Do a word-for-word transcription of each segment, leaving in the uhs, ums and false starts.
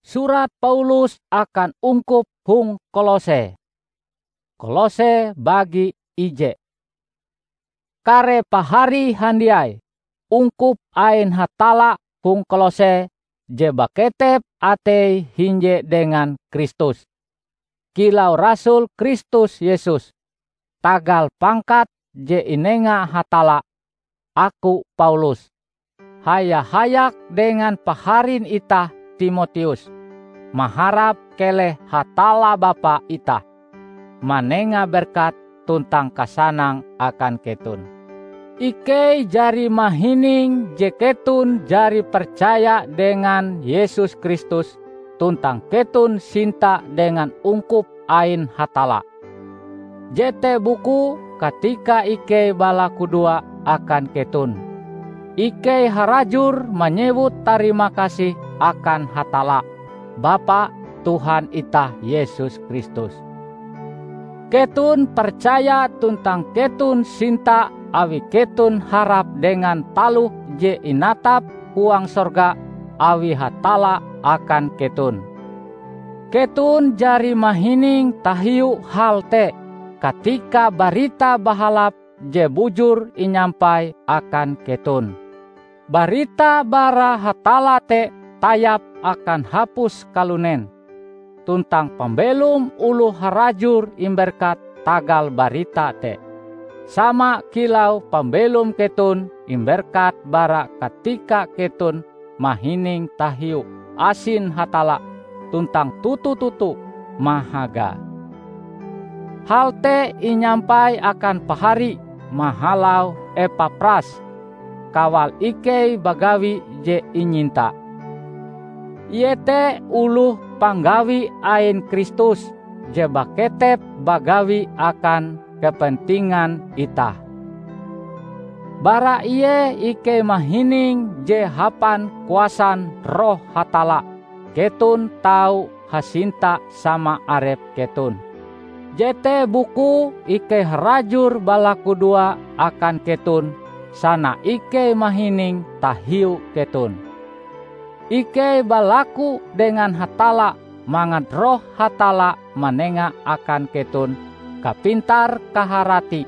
Surat Paulus akan ungkup hong Kolose. Kolose bagi ije. Kare pahari handiai, ungkup ain Hatalla hong Kolose je baketep ateie hinje dengan Kristus. Kilau rasul Kristus Yesus, tagal pangkat je inenga Hatalla, aku Paulus, haya-hayak dengan paharin itah Timoteus, maharap keleh Hatalla Bapa itah manenga berkat tuntang kasanang akan keton. Ikei jari mahining je keton jari percaya dengan Yesus Kristus tuntang keton sinta dengan ungkup ain Hatalla. Jete bukue katika ikei balakudoa akan keton. Ikei harajur manyewut tarima kasih akan Hatalla, Bapa Tuhan itah Yesus Kristus. Keton percaya tuntang keton sinta awi keton harap dengan taloh je inatap huang sorga awi Hatalla akan keton. Keton jari mahining tahiu hal te katika Barita Bahalap je bujur inyampai akan keton. Barita bara Hatalla te tayap akan hapus kalunen, tuntang pambelom oloh harajur imberkat tagal barita te, sama kilau pambelom keton imberkat bara katika keton mahining tahiu asin Hatalla tuntang toto-toto mahagae. Hal te inyampai akan pahari mahalau Epapras, kawal ikei bagawi je inyinta. Ie te oloh panggawi ain Kristus je baketep bagawi akan kepentingan itah. Bara ie ikei mahining je hapan kuasan Roh Hatalla keton tau hasinta sama arep keton. Jete bukue ikei harajur balakudoa akan keton, sana ikei mahining tahiu keton. Ikei balaku dengan Hatalla mangat Roh Hatalla manenga akan keton kapintar-kaharati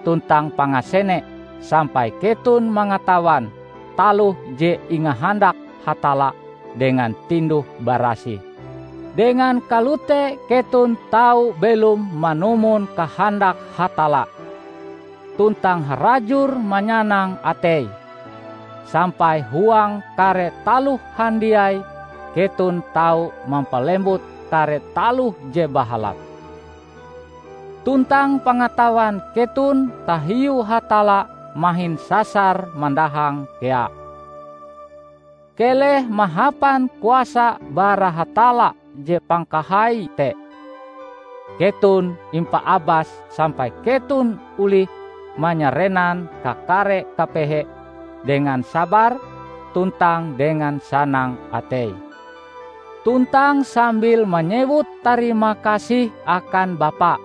tuntang pangasene sampai keton mangatawan taloh je ingahandak Hatalla dengan tinduh-barasih. Dengan kalote keton tau belom manumon kahandak Hatalla, tuntang harajur manyanang atei, sampai huang kare taloh handiai keton tau mampalembut kare taloh je bahalap. Tuntang pangatawan keton tahiu Hatalla mahin sasar mandahang kea. Keleh mahapan kuasa bara Hatalla je pangkahai te. Keton impaabas sampai keton olih manyarenan kakare kapehe dengan sabar tuntang dengan sanang atei, tuntang sambil manyewut tarima kasih akan Bapa.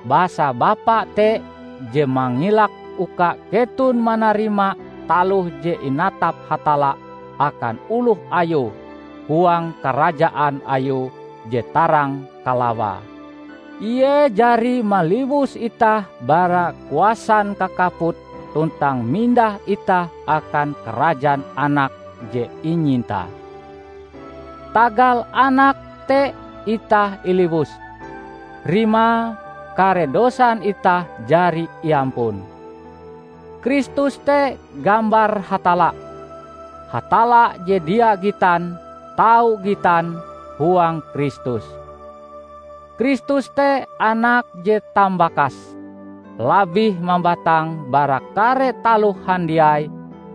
Basa Bapa te je mangilak uka keton manarima taloh je inatap Hatalla akan oloh Ayue huang karajaan Ayue je tarang kalawae. Ie jari maliwus itah bara kuasan kakaput tuntang mindah itah akan karajan Anak je inyintae. Tagal Anak te itah iliwus, rimae kare dosan itah jari iampun. Kristus te gambar Hatalla. Hatalla je dia gitan, tau gitan huang Kristus. Kristus te Anak je tambakas, labih mambatang bara kare taloh handiai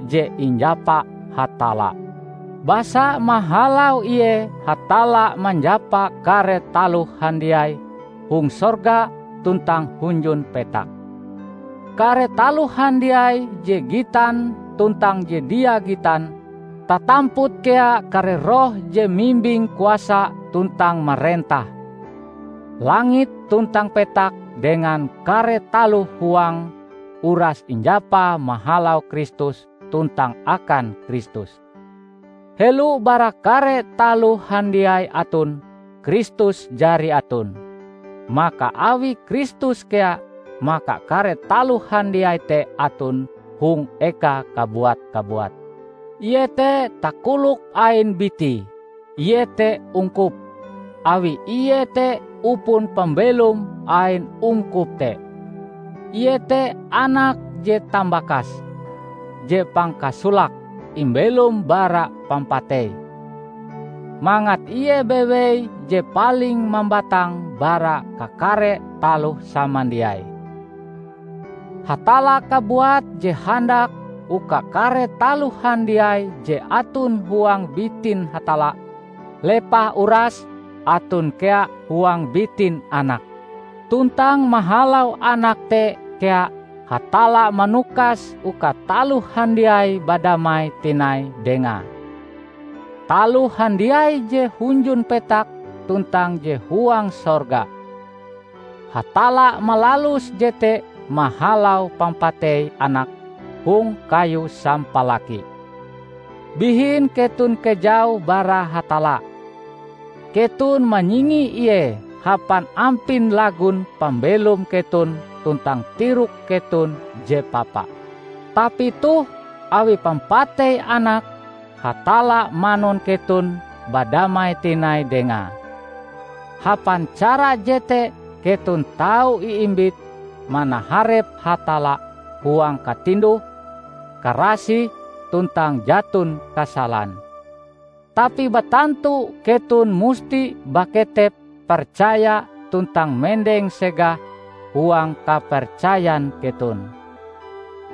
je injapa Hatalla. Basa mahalau Ie Hatalla manjapa kare taloh handiai hong sorga tuntang hunjun petak. Kare taloh handiai je gitan tuntang je dia gitan, tatamput kea kare roh je mimbing kuasa tuntang marentah. Langit tuntang petak dengan kare taloh huange uras injapa mahalau Kristus tuntang akan Kristus. Helo bara kare taloh handiai aton, Kristus jari aton. Maka awi Kristus kea, maka kare taloh handiai te aton hong eka kabuat-kabuat. Ie te takolok ain bitie, ie te ungkup, awi ie te upon pambelom ain ungkup te. Ie te Anak je tambakas, je pangkasolake imbelom bara pampatei, mangat ie bewei je paling mambatang bara kakare taloh samandiai. Hatalla kabuat je handak uka kare taloh handiai je aton huang bitin Hatalla, lepah uras aton kea huang bitin Anak. Tuntang mahalau Anak te kea Hatalla manukas uka taloh handiai badamai tinai Dengae. Taloh handiai je hunjun petak tuntang je huang sorga. Hatalla malalus jete mahalau pampatei Anak hong kayu sampalaki. Bihin keton kejau bara Hatalla. Keton manyingi Ie hapan ampin lagon pambelom keton tuntang tirok keton je papa. Tapi toh, awi pampatei Anak, Hatalla manon keton badamai tinai Dengae. Hapan cara jete keton tau iimbit manaharep Hatalla huang katinduh, karasih, tuntang jaton kasalan. Tapi batantu keton musti baketep percaya tuntang mendeng segah huang kapercayan keton.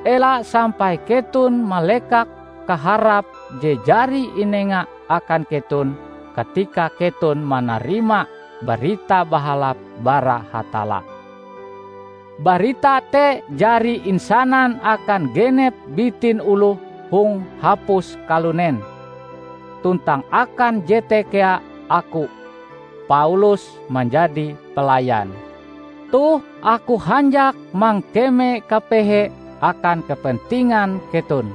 Ela sampai keton malekak kaharap je jari inenga akan keton katika keton manarima Barita Bahalap bara Hatalla. Barita te jari insanan akan genep bitin oloh hong hapus kalunen. Tuntang akan jete kea aku, Paulus, manjadi pelayan. Toh aku hanjak mangkeme kapehe akan kepentingan keton.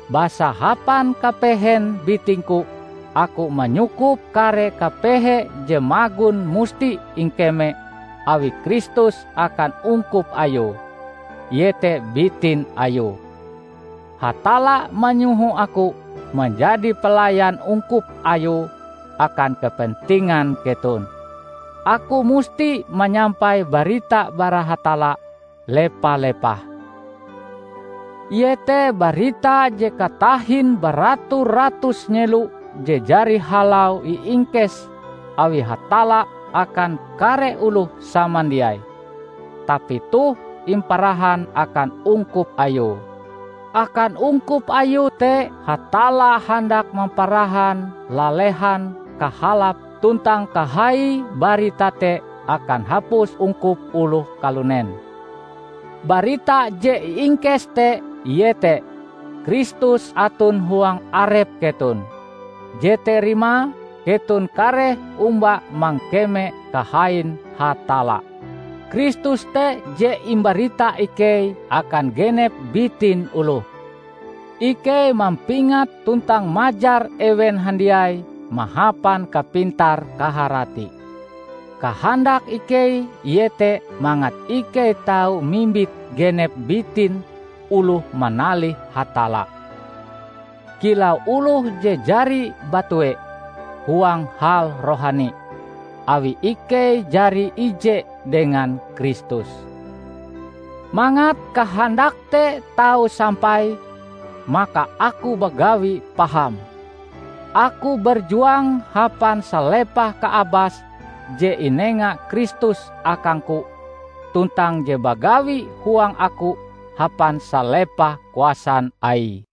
Basa hapan kapehen bitingku, aku manyukup kare kapehe je magon musti ingkeme awi Kristus akan ungkup Ayue, iete bitin Ayue. Hatalla manyoho aku manjadi pelayan ungkup Ayue akan kepentingan keton. Aku musti manyampai barita bara Hatalla lepah-lepah. Iete barita je katahin baratus-ratus nyelo je jari halau iingkes awi Hatalla akan kare oloh samandiai, tapi toh imparahan akan ungkup Ayue. Akan ungkup Ayue te Hatalla handak mamparahan lalehan kahalap tuntang kahai barita te akan hapus ungkup oloh kalunen. Barita je iingkes te iete Kristus aton huang arep keton. Jete rimae keton kareh omba mangkeme kahain Hatalla. Kristus te je imbarita ikei akan genep bitin oloh. Ikei mampingat tuntang majar ewen handiai mahapan kapintar-kaharati. Kahandak ikei iete mangat ikei tau mimbit genep bitin oloh manalih Hatalla, kilau oloh je jari batue huang hal rohani, awi ikei jari ije dengan Kristus. Mangat kahandak te tau sampai, maka aku bagawi paham. Aku berjuang hapan salepah kaabas je inenga Kristus akangku, tuntang je bagawi huang aku hapan salepah kuasan Aie.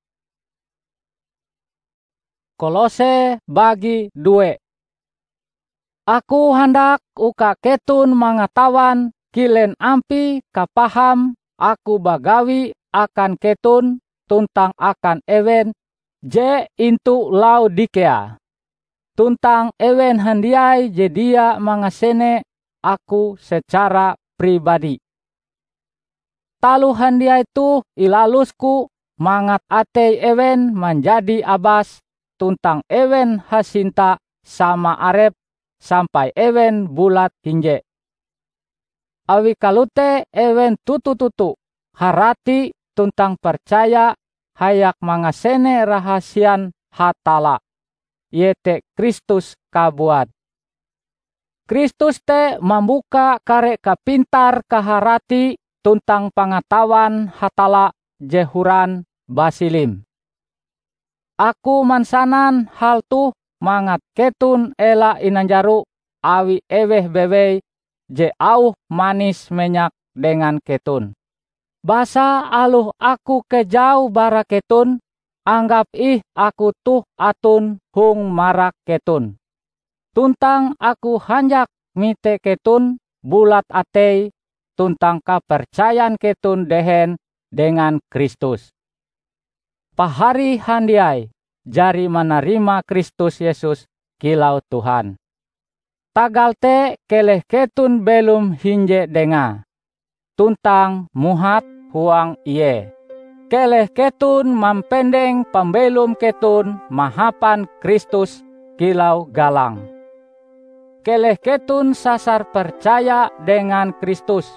Kolose bagi due. Aku handak uka keton mangatawan kilen ampie kapaham aku bagawi akan keton tuntang akan ewen je intu Laodikea, tuntang ewen handiai je dia mangasene aku secara pribadi. Taloh handiai toh ilalusku mangat atei ewen manjadi abas tuntang ewen hasinta sama arep sampai ewen bulat hinje. Awi kalote ewen toto-toto harati tuntang percaya hayak mangasene rahasian Hatalla, iete Kristus kabuat. Kristus te mambuka kare kapintar-kaharati tuntang pangatawan Hatalla je horan basilim. Aku mansanan hal toh mangat keton ela inanjaro awi eweh bewei je auhe manis-menyak dengan keton. Basa aloh aku kejau bara keton, anggap ih aku toh aton hong marak keton. Tuntang aku hanjak mite keton bulat atei tuntang kapercayan keton dehen dengan Kristus. Pahari handiai jari manarima Kristus Yesus kilau Tuhan. Tagal te keleh keton belom hinje dengae, tuntang muhat huang Ie. Keleh keton mampendeng pambelom keton mahapan Kristus kilau galang. Keleh keton sasar percaya dengan Kristus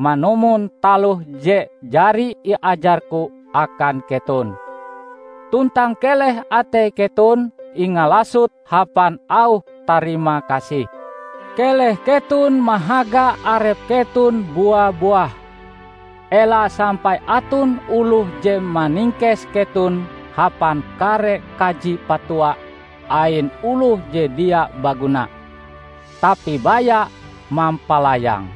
manumon taloh je jari iajarku akan keton. Tuntang keleh atei keton ingalasot hapan auh tarima kasih. Keleh keton mahaga arep keton bua-buah. Ela sampai aton oloh je maningkes keton hapan kare kaji patuah ain oloh je dia baguna, tapi baya mampalayang.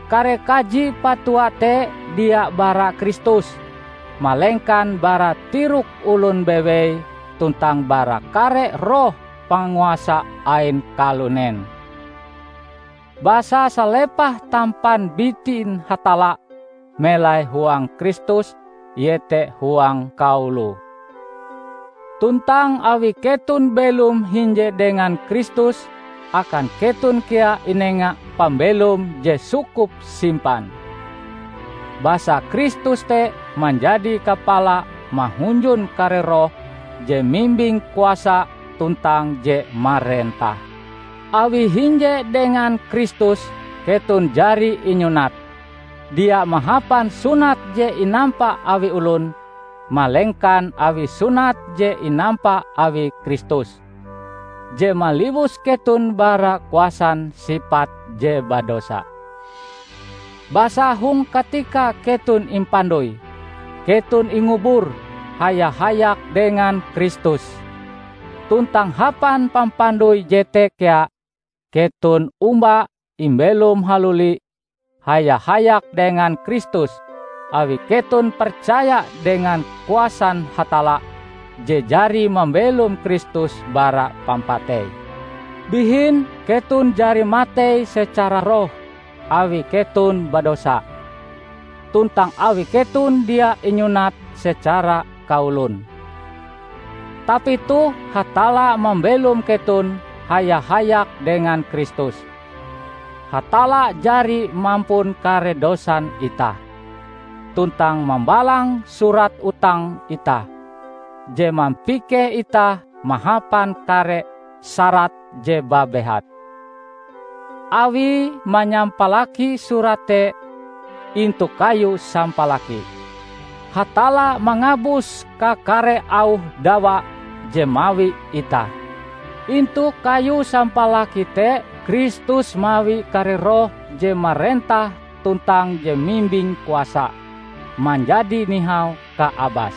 Kare kaji patuah te dia bara Kristus, malengkan bara tirok olon bewei tuntang bara kare roh panguasa ain kalunen. Basa salepah tampan bitin Hatalla melai huang Kristus, iete huang kaulu. Tuntang awi keton belom hinje dengan Kristus, akan keton kea inenga pambelom je sukup simpan. Basa Kristus te manjadi kapala mahunjun kare roh je mimbing kuasa tuntang je marentah. Awi hinje dengan Kristus, keton jari inyunat, dia mahapan sunat je inampa awi olon, malengkan awi sunat je inampa awi Kristus, je maliwus keton bara kuasan sipat je badosa. Basa hong katika keton impandoi, keton ingubur haya-hayak dengan Kristus. Tuntang hapan pampandoi jete kea, keton omba imbelom haluli haya-hayak dengan Kristus, awi keton percaya dengan kuasan Hatalla je jari mambelom Kristus bara pampatei. Bihin keton jari matei secara roh awi keton badosa, tuntang awi keton dia inyunat secara kaolon. Tapi toh Hatalla mambelom keton haya-hayak dengan Kristus. Hatalla jari mampun kare dosan itah, tuntang mambalang surat utang itah, je mampikeh itah mahapan kare sarat je babehat. Awie manyampalaki surat te intu kayu sampalaki, Hatalla mangabus kakare auh dawa je mawi itah. Intu kayu sampalaki te Kristus mawi kare roh je marentah tuntang je mimbing kuasa manjadi nihau kaabas.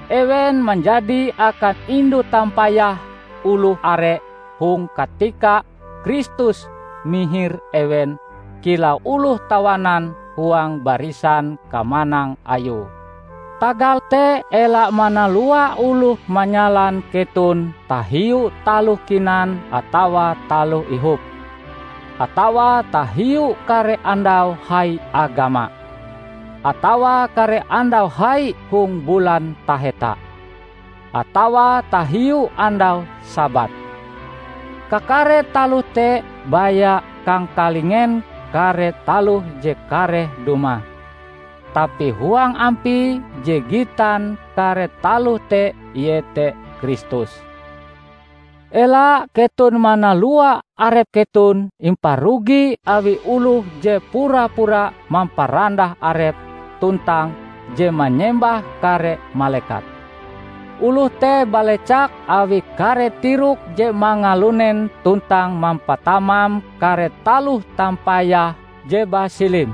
Ewen manjadi akan indu tampayah oloh are hong katika Kristus mihir ewen kilau oloh tawanan huang barisan kamanang Ayue. Tagal te ela manalua oloh manyalan keton tahiu taloh kinan atawa taloh ihop, atawa tahiu kare andau hai agama, atawa kare andau hai hong bulan taheta, atawa tahiu andau Sabat. Kakare taloh te baya kangkalingen kare taloh je kareh dumah. Tapi huang ampie je gitan kare taloh te iete Kristus. Ela keton manalua arep keton imparugi awi oloh je pura-pura mamparandah arepe tuntang je manyembah kare malekat. Oloh te balecak awi kare tirok je mangalunen tuntang mampatamam kare taloh tampayah je basilim,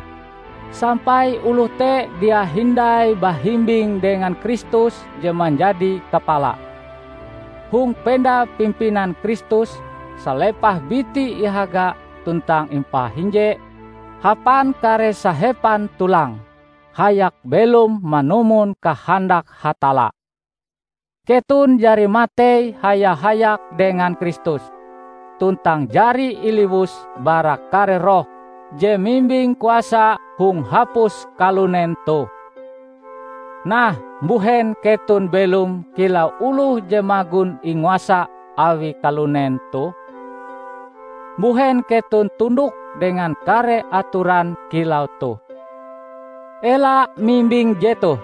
sampai oloh te dia hindai bahimbing dengan Kristus je manjadi kapala. Hong penda pimpinan Kristus, salepah biti ihaga tuntang impahinje hapan kare sahepan tulang, hayak belom manumon kahandak Hatalla. Keton jari matei haya-hayak dengan Kristus, tuntang jari iliwus bara kare roh je mimbing kuasa hong hapus kalunen toh. Nah, mbuhen keton belom kilau oloh je magon inguasa awi kalunen toh? Mbuhen keton tundok dengan kare atoran kilau toh? Ela mimbing jetoh!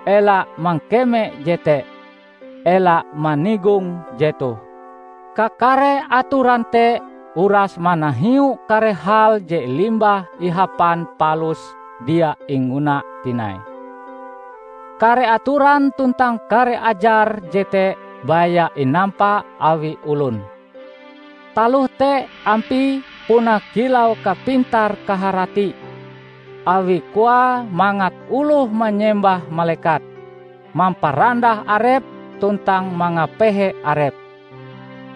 Ela mangkeme jete! Ela manigong jetoh! Kakare atoran te uras manahiu kare hal je limbah ihapan palus dia inguna tinai. Kare atoran tuntang kare ajar jete baya inampa awi olon. Taloh te ampie puna kilau kapintar-kaharati, awi koae mangat oloh manyembah malekat, mamparandah arepe tuntang mangapehe arepe.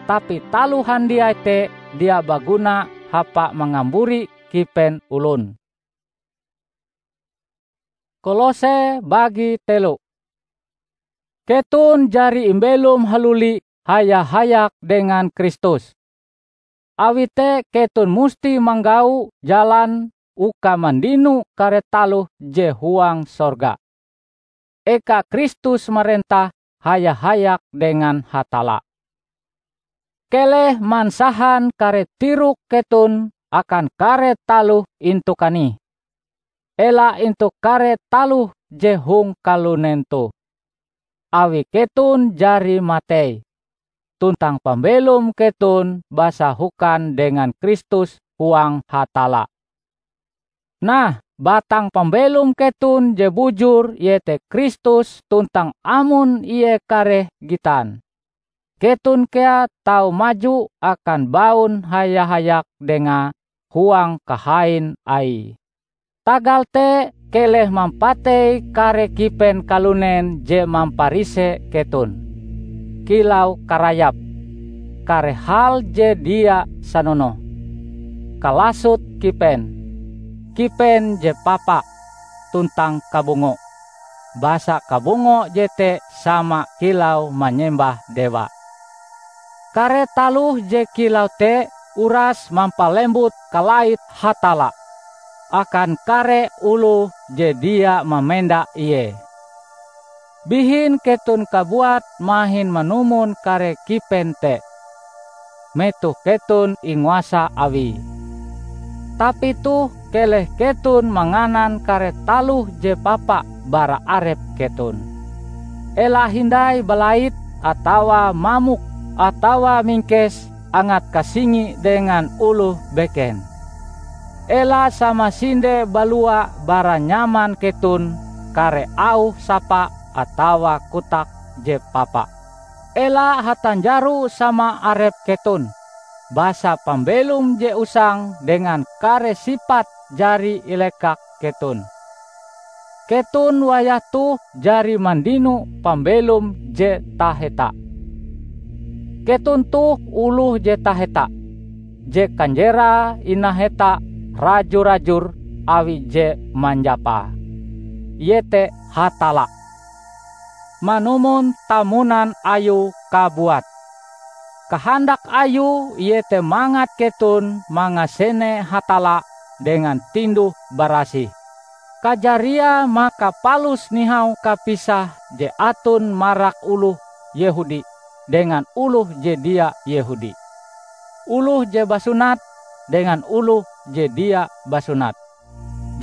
Tapi taloh handiai te dia baguna hapa mangamburi kipen olon. Kolose bagi telo. Keton jari imbelom haluli haya-hayak dengan Kristus. Awi te keton musti manggau jalan uka mandino kare taloh je huang sorga, eka Kristus marentah haya-hayak dengan Hatalla. Keleh mansahan kare tirok keton akan kare taloh intu kanih, ela intu kare taloh je hong kalunen toh. Awi keton jari matei, tuntang pambelom keton basahokan dengan Kristus huang Hatalla. Nah, batang pambelom keton je bujur iete Kristus tuntang amon Ie kareh gitan, keton kea tau maju akan baun haya-hayak Dengae huang kahain Aie. Tagal te, keleh mampatei kare kipen kalunen je mamparise keton, kilau karayap, kare hal je dia sanonoh, kalasot kipen, kipen je papa, tuntang kabungo, basa kabungo jete sama kilau manyembah dewa. Kare taloh je kilau te uras mampalembut kalait Hatalla akan kare oloh je dia mamenda Ie. Bihin keton kabuat mahin manumon kare kipen te, metoh keton inguasa Awie. Tapi toh keleh keton manganan kare taloh je papa bara arep keton. Ela hindai balait atawa mamok atawa mingkes angat kasingi dengan oloh beken. Ela samasinde balua bara nyaman keton kare auh sapa atawa kotak je papa. Ela hatanjaro sama arep keton, basa pambelom je usang dengan kare sipat jari ilekak keton. Keton wayah toh jari mandino pambelom je taheta. Keton toh oloh je taheta, je kanjerae inaheta raju-rajur awi je manjapae, iete Hatalla, manumon tamunan Ayue kabuat. Kahandak Ayue iete mangat keton mangasene Hatalla dengan tinduh-barasih. Kajariae maka palus nihau kapisah je aton marak oloh Yehudi dengan oloh je dia Yehudi, oloh je basunat dengan oloh je dia basunat,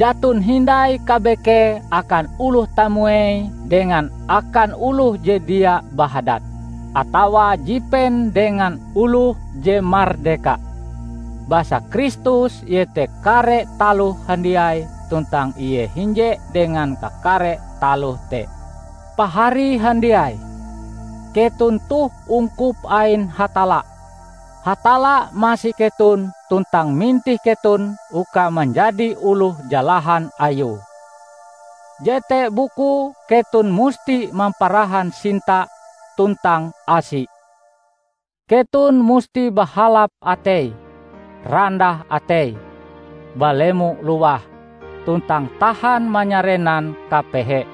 Jaton hindai kabekee akan oloh tamuei dengan akan oloh je dia bahadat, atawa jipen dengan oloh je mardeka. Basa Kristus iete kare taloh handiai tuntang Ie hinje dengan kakare taloh te. Pahari handiai, keton toh ungkup ain Hatalla. Hatalla masi keton tuntang mintih keton uka manjadi oloh jalahan Ayue. Jete bukue keton musti mamparahan sinta tuntang asi. Keton musti bahalap atei, randah atei, balemo luwah, tuntang tahan manyarenan kapehe.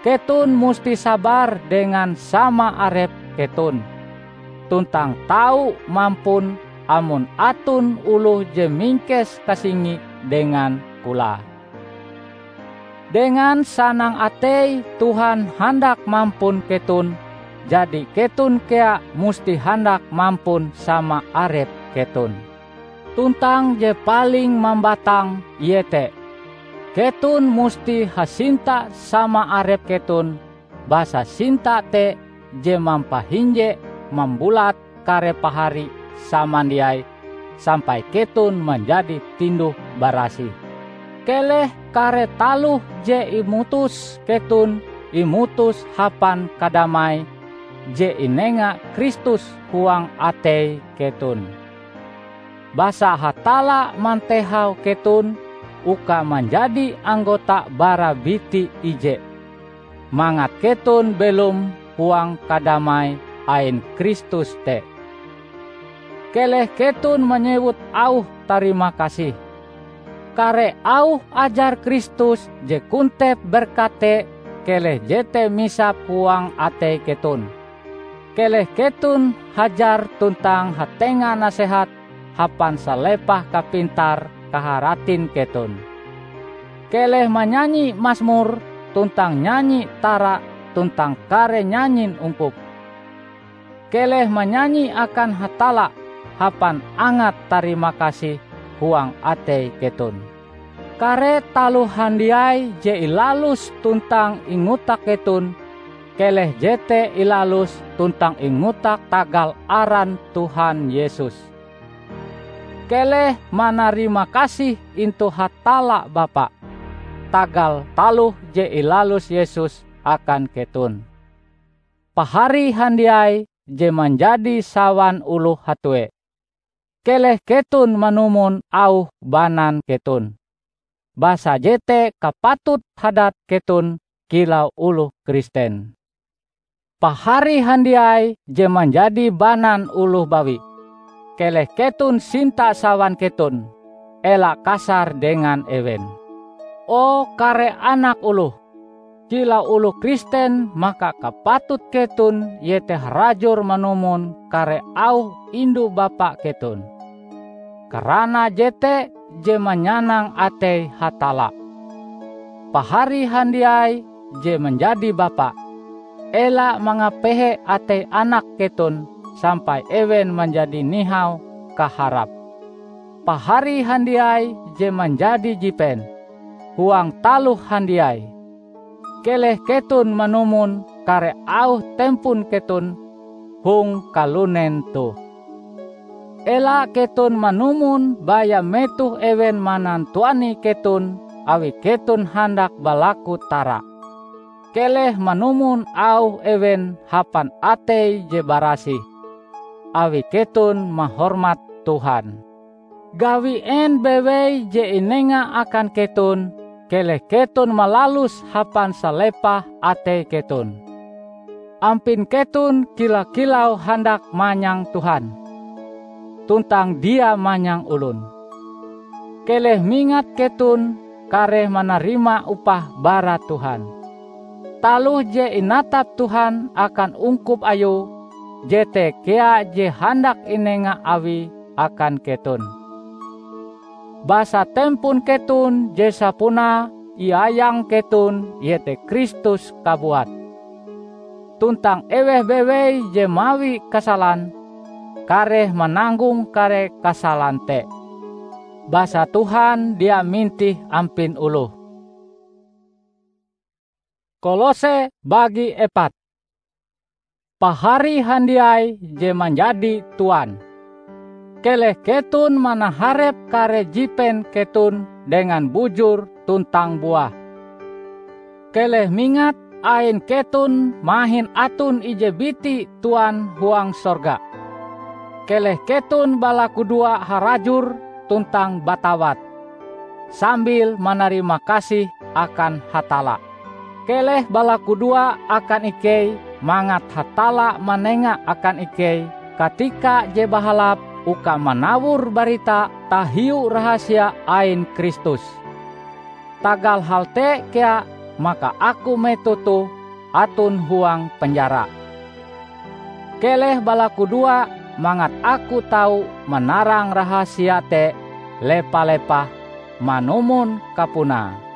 Keton musti sabar dengan sama arep keton, tuntang tau mampun amon aton oloh je mingkes kasingi dengan kolae. Dengan sanang atei Tuhan handak mampun keton, jadi keton kea musti handak mampun sama arep keton. Tuntang je paling mambatang iete, keton musti hasinta sama arep keton, basa sinta te je mampahinje mambulat kare pahari samandiai sampai keton manjadi tinduh-barasih. Keleh kare taloh je imutus keton imutus hapan kadamai je inenga Kristus huang atei keton. Basa Hatalla mantehau keton uka manjadi anggota bara biti ije, mangat keton belom huang kadamai ain Kristus te. Keleh keton manyewut auh tarimakasih. Kare auh ajar Kristus je kontep berkat te, keleh jete misap huang atei keton. Keleh keton hajar tuntang hatenga nasehat hapan salepah kapintar-kaharatin keton. Keleh manyanyi masmur tuntang nyanyi tara tuntang kare nyanyin ungkup. Keleh manyanyi akan Hatalla hapan angat tarimakasih huang atei keton. Kare taloh handiai je ilalus tuntang ingotak keton, keleh jete ilalus tuntang ingotak tagal aran Tuhan Yesus. Keleh manarimakasih intu Hatalla Bapa, tagal taloh je ilalus Yesus akan keton. Pahari handiai je manjadi sawan oloh hatue, keleh keton manumon auh banan keton. Basa jete kapatut hadat keton kilau oloh Kristen. Pahari handiai je manjadi banan oloh bawi, keleh keton sinta sawan keton, ela kasar dengan ewen. O kare anak oloh, kilau oloh Kristen maka kapatut keton iete harajur manumon kare auh indu-bapa keton. Karana jete je manyanang atei Hatalla. Pahari handiai je manjadi bapa, ela mangapehe atei anak keton sampai ewen manjadi nihau kaharap. Pahari handiai je manjadi jipen huang taloh handiai, keleh keton manumon kare auh tempon keton hong kalunen toh. Ela keton manumon baya metoh ewen manantuani keton awi keton handak balaku tara. Keleh manumon auh ewen hapan atei je barasih, awi keton mahormat Tuhan. Gawi en bewei je inenga akan keton, keleh keton malaluse hapan salepah atei keton. Ampin keton kila-kilau handak manyang Tuhan, tuntang dia manyang olon. Keleh mingat keton kareh manarima upah bara Tuhan. Taloh je inatap Tuhan akan ungkup Ayue, jete kea je handak inenga Awie akan keton. Basa tempon keton je sapunae iayang keton iete Kristus kabuat. Tuntang eweh bewei je mawi kasalan, kareh mananggong kare kasalan te. basa Tuhan dia mintih ampin oloh. Kolose bagi epat. Pahari handiai je manjadi tuan, keleh keton manaharep kare jipen keton dengan bujur tuntang buah. Keleh mingat ain keton mahin aton ije biti Tuan huang sorga. Keleh keton balakudoa harajur tuntang batawat, sambil manarima kasih akan Hatalla. Keleh balakudoa akan ikei mangat Hatalla manenga akan ikei katika je bahalap uka manawor barita tahiu rahasia ain Kristus. Tagal hal te kea maka aku metoh toh aton huang penjara. Keleh balakudoa mangat aku tau manarang rahasia te lepa-lepah manumon kapunae.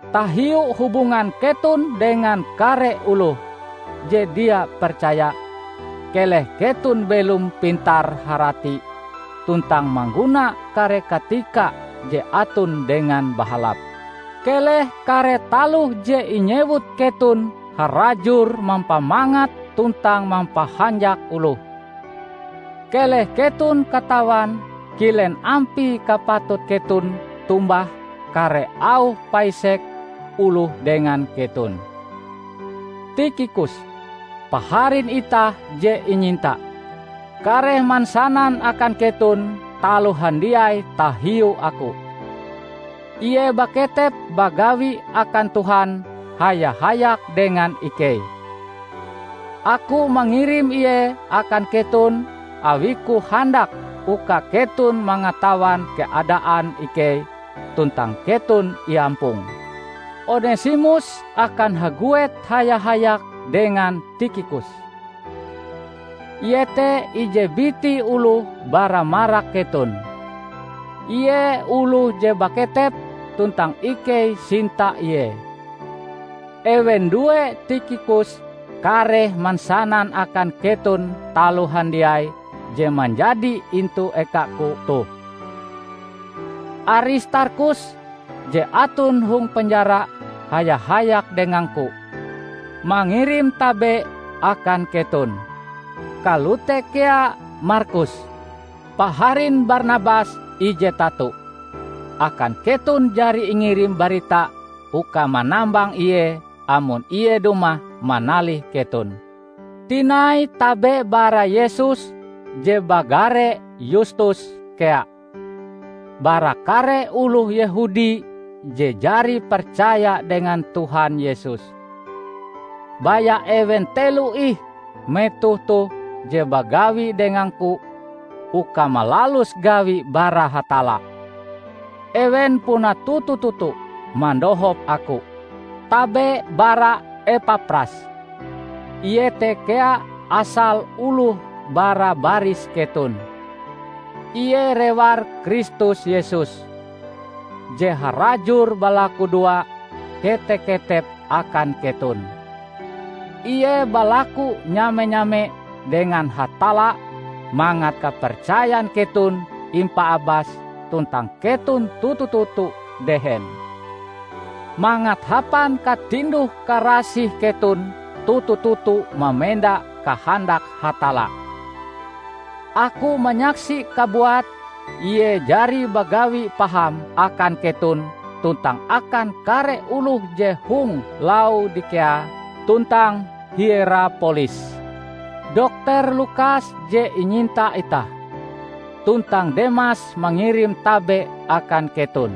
Tahiu hubungan keton dengan kare oloh je dia percaya, keleh keton belom pintar-harati tuntang mangguna kare katika je aton dengan bahalap. Keleh kare taloh je inyewut keton harajur mampamangat tuntang mampahanjak oloh. Keleh keton katawan kilen ampie kapatut keton tombah kare auh paisek oloh dengan keton. Tikhikus, paharin itah je inyinta, kareh mansanan akan keton taloh handiai tahiu aku. Ie baketep bagawi akan Tuhan haya-hayak dengan ikei. Aku mangirim ie akan keton awiku handak uka keton mangatawan keadaan ikei tuntang keton iampong. Onesimus akan haguet haya-hayak dengan Tikhikus. Ie te ije biti oloh bara marak keton. Ie oloh je baketep tuntang ikei sinta ie. Ewen due Tikhikus kareh mansanan akan keton taloh handiai je manjadi intu ekaku toh. Aristarkhus je aton hong penjara haya-hayak dengangku, mangirim tabe akan keton. Kalote kea Markus, paharin Barnabas ije tato. Akan keton jari ingirim barita uka manambang ie amon ie dumah manalih keton. Tinai tabe bara Yesus je bagare Yustus kea. Bara kare oloh Yehudi je jari percaya dengan Tuhan Yesus. Baya ewen telo ih metoh toh je bagawi dengangku uka malalus gawi bara Hatalla. Ewen puna toto-toto mandohop aku. Tabe bara Epapras. Ie te kea asal oloh bara baris keton. Ie rewar Kristus Yesus, je harajur balakudoa kete-ketep akan keton. Ie balaku nyame-nyame dengan Hatalla mangat kapercayan keton impaabas tuntang keton toto-toto dehen. Mangat hapan katinduh-karasih keton toto-toto mamenda kahandak Hatalla. Aku manyaksi kabuat ie jari bagawi paham akan keton tuntang akan kare oloh je hong Laodikia tuntang Hierapolis. Dokter Lukas je inyinta itah, tuntang Demas mangirim tabe akan keton.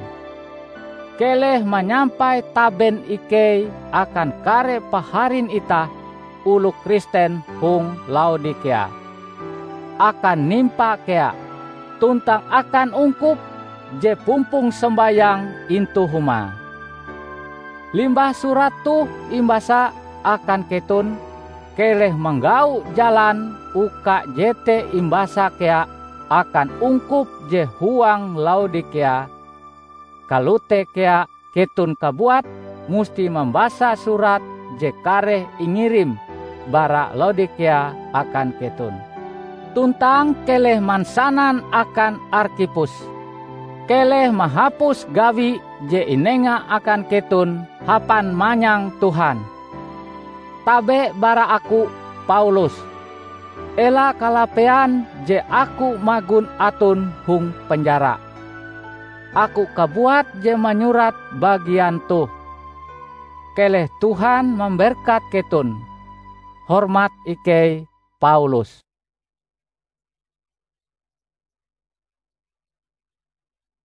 Keleh manyampai taben ikei akan kare paharin itah oloh Kristen hong Laodikia, akan Nimpa kea, tuntang akan ungkup je pumpong sombayang intu humae. Limbah surat toh imbasa akan keton, keleh manggau jalan uka jete imbasa kea akan ungkup je huang Laodikia. Kalote kea keton kabuat musti mambasa surat je kareh ingirim bara Laodikia akan keton. Tuntang keleh mansanan akan Arkhipus, Keleh mahapus gawi je inenga akan keton hapan manyang Tuhan. Tabe bara aku, Paulus! Ela kalapean je aku magon aton hong penjara. Aku kabuat je manyurat bagian toh. Keleh Tuhan mamberkat keton. Hormat ikei, Paulus.